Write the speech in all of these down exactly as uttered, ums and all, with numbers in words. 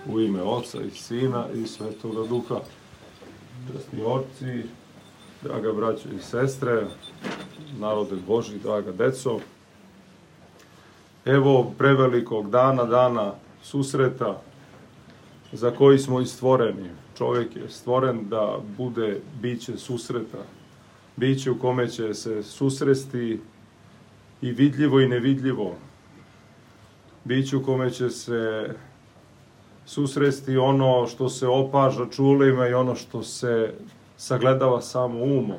U ime Oca i Sina i Svetoga Duha. Časni oci, draga braćo i sestre, narode Božji, draga deco. Evo prevelikog dana, dana susreta za koji smo i stvoreni. Čovjek je stvoren da bude biće susreta. Biće u kome će se susresti i vidljivo i nevidljivo. Biće u kome će se susresti ono što se opaža čulima i ono što se sagledava samo umom.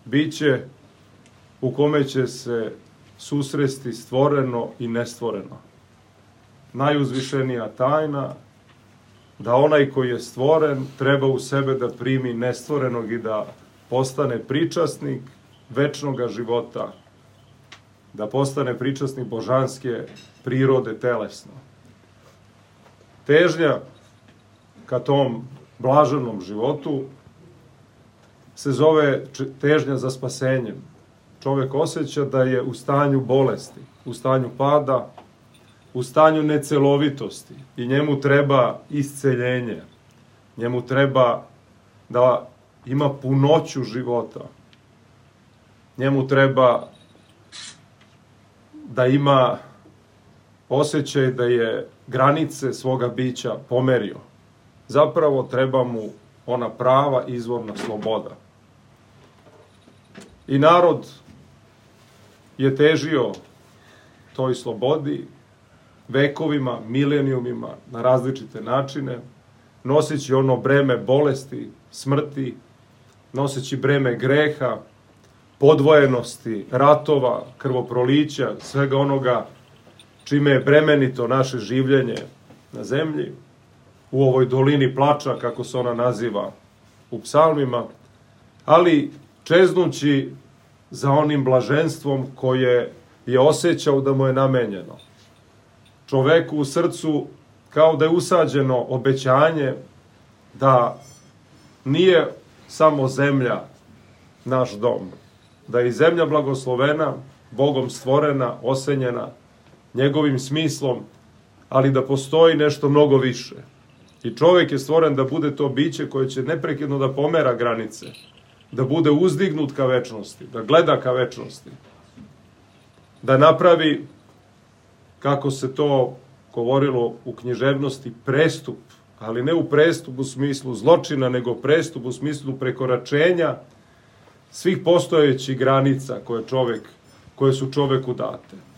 Biće u kome će se susresti stvoreno i nestvoreno. Najuzvišenija tajna da onaj koji je stvoren treba u sebe da primi nestvorenog i da postane pričasnik večnog života, da postane pričasnik božanske prirode telesno. Težnja ka tom blaženom životu se zove težnja za spasenjem. Čovjek osjeća da je u stanju bolesti, u stanju pada, u stanju necelovitosti i njemu treba isceljenje. Njemu treba da ima punoću života. Njemu treba da ima osjećaj da je granice svoga bića pomerio. Zapravo treba mu ona prava izvorna sloboda. I narod je težio toj slobodi vekovima, milenijumima, na različite načine, noseći ono breme bolesti, smrti, noseći breme greha, podvojenosti, ratova, krvoprolića, svega onoga čime je bremenito naše življenje na zemlji, u ovoj dolini plača, kako se ona naziva u psalmima, ali čeznući za onim blaženstvom koje je osjećao da mu je namenjeno. Čoveku u srcu kao da je usađeno obećanje da nije samo zemlja naš dom, da je i zemlja blagoslovena, Bogom stvorena, osenjena, njegovim smislom, ali da postoji nešto mnogo više. I čovjek je stvoren da bude to biće koje će neprekidno da pomera granice, da bude uzdignut ka večnosti, da gleda ka večnosti, da napravi, kako se to govorilo u književnosti, prestup, ali ne u prestup u smislu zločina, nego prestup u smislu prekoračenja svih postojećih granica koje, čovjek, koje su čovjeku date.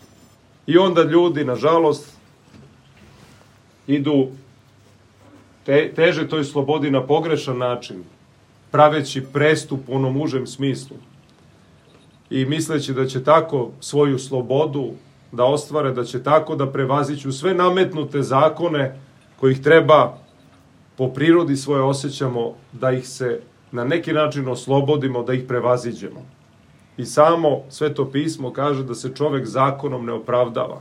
I onda ljudi, nažalost, idu te, teže toj slobodi na pogrešan način, praveći prestup u onom užem smislu i misleći da će tako svoju slobodu da ostvare, da će tako da prevaziću sve nametnute zakone kojih treba po prirodi svoje osjećamo da ih se na neki način oslobodimo, da ih prevaziđemo. I samo Sveto pismo kaže da se čovjek zakonom ne opravdava.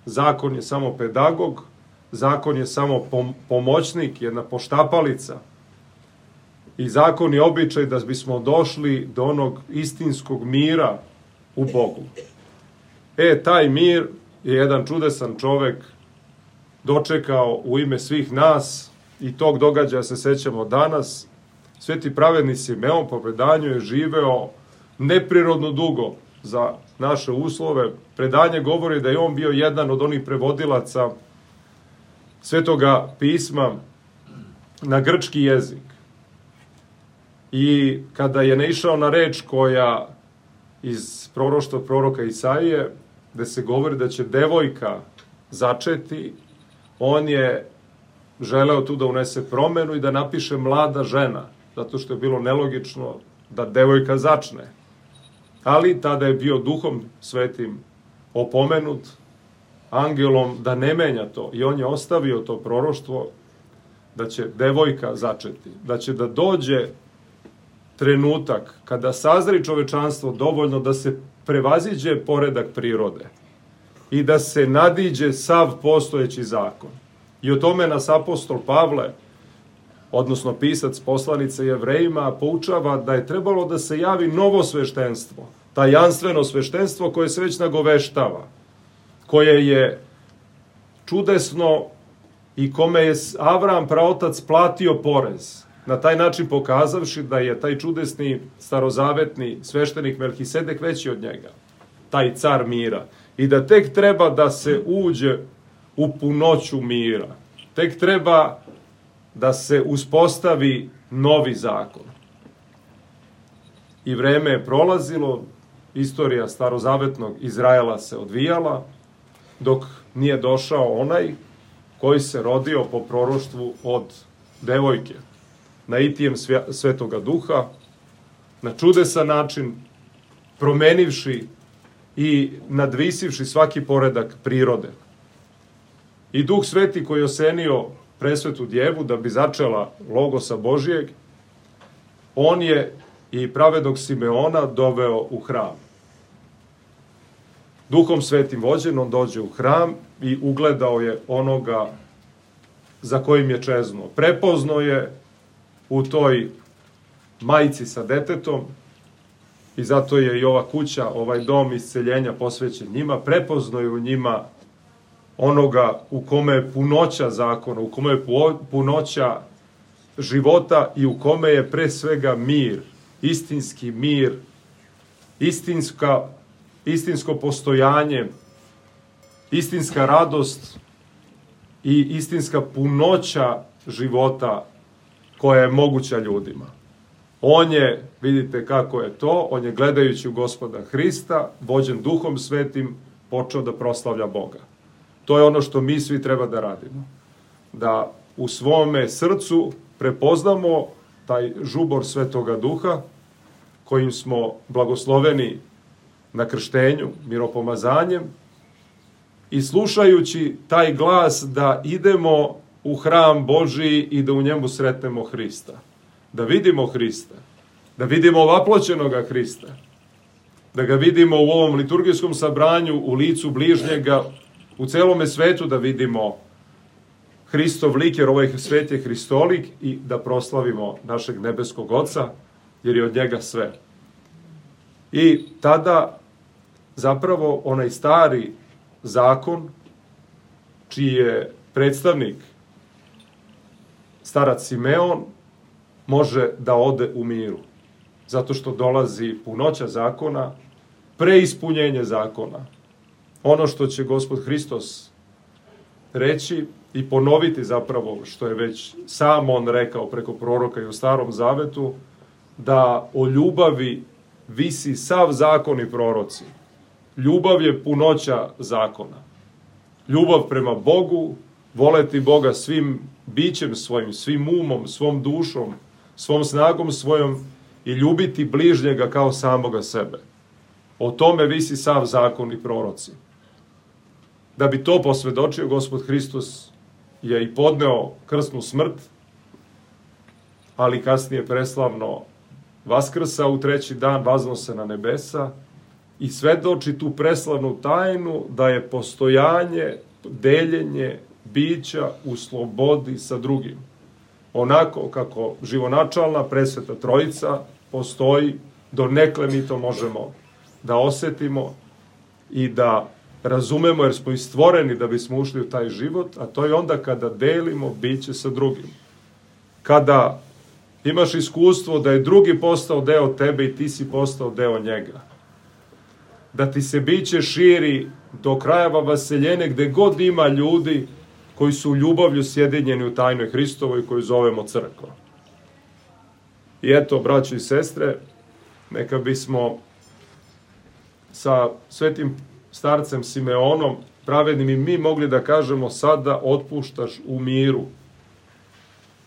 Zakon je samo pedagog, zakon je samo pomoćnik, jedna poštapalica. I zakon je običaj da bismo došli do onog istinskog mira u Bogu. E, taj mir je jedan čudesan čovjek dočekao u ime svih nas i tog događaja se sećamo danas. Sveti pravedni Simeon po predanju je živeo neprirodno dugo za naše uslove. Predanje govori da je on bio jedan od onih prevodilaca Svetoga pisma na grčki jezik. I kada je naišao na reč koja iz proroštva proroka Isaije, gde se govori da će devojka začeti, on je želeo tu da unese promenu i da napiše mlada žena, zato što je bilo nelogično da devojka začne. Ali tada je bio Duhom Svetim opomenut, angelom, da ne menja to. I on je ostavio to proroštvo da će devojka začeti, da će da dođe trenutak kada sazri čovečanstvo dovoljno da se prevaziđe poredak prirode i da se nadiđe sav postojeći zakon. I o tome nas apostol Pavle, odnosno pisac poslanice Jevrejima, poučava da je trebalo da se javi novo sveštenstvo, tajanstveno sveštenstvo koje se već nagoveštava, koje je čudesno i kome je Avram praotac platio porez, na taj način pokazavši da je taj čudesni starozavetni sveštenik Melhisedek veći od njega, taj car mira, i da tek treba da se uđe u punoću mira, tek treba da se uspostavi novi zakon. I vreme je prolazilo, istorija starozavetnog Izraela se odvijala, dok nije došao onaj koji se rodio po proroštvu od devojke, naitijem Svetoga Duha, na čudesan način, promenivši i nadvisivši svaki poredak prirode. I Duh Sveti koji je osenio presvetu djevu da bi začela Logosa Božijeg, on je i pravednog Simeona doveo u hram. Duhom Svetim vođen, on dođe u hram i ugledao je onoga za kojim je čeznuo. Prepoznao je u toj majci sa detetom, i zato je i ova kuća, ovaj dom isceljenja posvećen njima, prepoznao je u njima onoga u kome je punoća zakona, u kome je punoća života i u kome je pre svega mir, istinski mir, istinska, istinsko postojanje, istinska radost i istinska punoća života koja je moguća ljudima. On je, vidite kako je to, on je gledajući u Gospoda Hrista, vođen Duhom Svetim, počeo da proslavlja Boga. To je ono što mi svi treba da radimo. Da u svome srcu prepoznamo taj žubor Svetoga Duha, kojim smo blagosloveni na krštenju, miropomazanjem, i slušajući taj glas da idemo u hram Božiji i da u njemu sretnemo Hrista. Da vidimo Hrista, da vidimo ovaploćenoga Hrista, da ga vidimo u ovom liturgijskom sabranju, u licu bližnjega, u celome svetu da vidimo Hristov lik, jer ovaj svet je Hristolik, i da proslavimo našeg nebeskog Oca, jer je od njega sve. I tada zapravo onaj stari zakon, čiji je predstavnik starac Simeon, može da ode u miru. Zato što dolazi punoća zakona, preispunjenje zakona. Ono što će Gospod Hristos reći i ponoviti zapravo što je već sam on rekao preko proroka i u Starom Zavetu, da o ljubavi visi sav zakon i proroci. Ljubav je punoća zakona. Ljubav prema Bogu, voleti Boga svim bićem svojim, svim umom, svom dušom, svom snagom svojom i ljubiti bližnjega kao samoga sebe. O tome visi sav zakon i proroci. Da bi to posvedočio, Gospod Hristos je i podneo krsnu smrt, ali kasnije preslavno vaskrsa u treći dan, vazno se na nebesa i svedoči tu preslavnu tajnu da je postojanje, deljenje bića u slobodi sa drugim. Onako kako živonačalna presveta Trojica postoji, donekle mi to možemo da osetimo i da razumemo, jer smo i stvoreni da bismo ušli u taj život, a to je onda kada delimo biće sa drugim. Kada imaš iskustvo da je drugi postao deo tebe i ti si postao deo njega. Da ti se biće širi do krajeva vaseljene gde god ima ljudi koji su u ljubavlju sjedinjeni u tajnoj Hristovoj koju zovemo crkva. I eto, braćo i sestre, neka bismo sa svetim starcem Simeonom pravednim i mi mogli da kažemo: sada otpuštaš u miru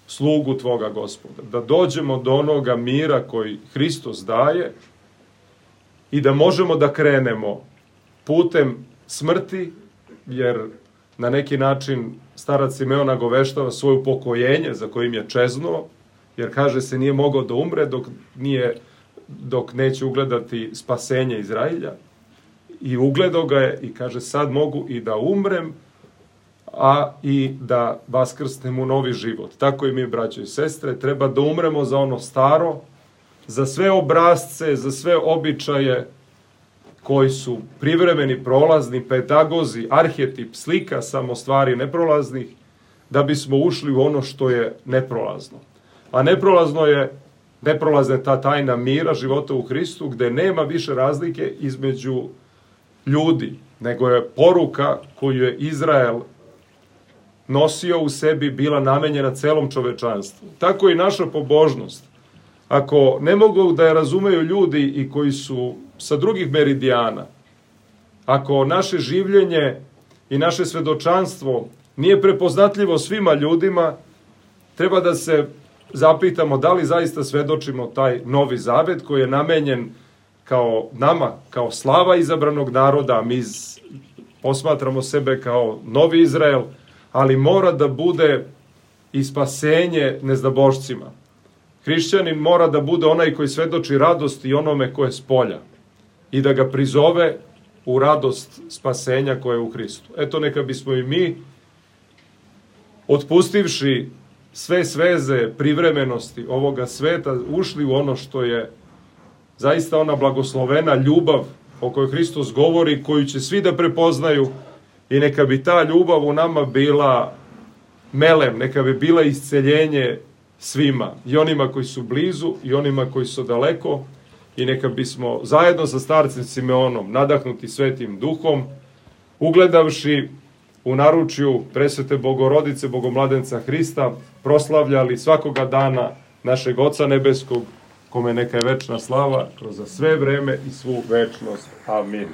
slugu tvoga Gospoda. Da dođemo do onoga mira koji Hristos daje i da možemo da krenemo putem smrti, jer na neki način starac Simeon nagoveštava svoje upokojenje za kojim je čeznuo, jer kaže se nije mogao da umre dok, nije, dok neće ugledati spasenje Izrailja. I ugledao ga je i kaže: sad mogu i da umrem, a i da vaskrsnem u novi život. Tako i mi, braćo i sestre, treba da umremo za ono staro, za sve obrazce, za sve običaje koji su privremeni, prolazni, pedagozi, arhetip, slika samo stvari neprolaznih, da bismo ušli u ono što je neprolazno. A neprolazno je, neprolazna je ta tajna mira, života u Hristu, gde nema više razlike između ljudi, nego je poruka koju je Izrael nosio u sebi bila namenjena celom čovečanstvu. Tako i naša pobožnost. Ako ne mogu da je razumeju ljudi i koji su sa drugih meridijana, ako naše življenje i naše svedočanstvo nije prepoznatljivo svima ljudima, treba da se zapitamo da li zaista svedočimo taj Novi Zavet koji je namenjen kao nama, kao slava izabranog naroda, mi posmatramo sebe kao Novi Izrael, ali mora da bude i spasenje nezdabošcima. Hrišćanin mora da bude onaj koji svedoči radost i onome koje je s polja i da ga prizove u radost spasenja koje je u Hristu. Eto, neka bismo i mi, otpustivši sve sveze privremenosti ovoga sveta, ušli u ono što je zaista ona blagoslovena ljubav o kojoj Hristos govori, koju će svi da prepoznaju, i neka bi ta ljubav u nama bila melem, neka bi bila isceljenje svima, i onima koji su blizu i onima koji su daleko, i neka bismo zajedno sa starcem Simeonom, nadahnuti Svetim Duhom, ugledavši u naručju Presvete Bogorodice, Bogomladenca Hrista, proslavljali svakoga dana našeg Oca Nebeskog, kome neka je večna slava kroz sve vreme i svu večnost. Amin.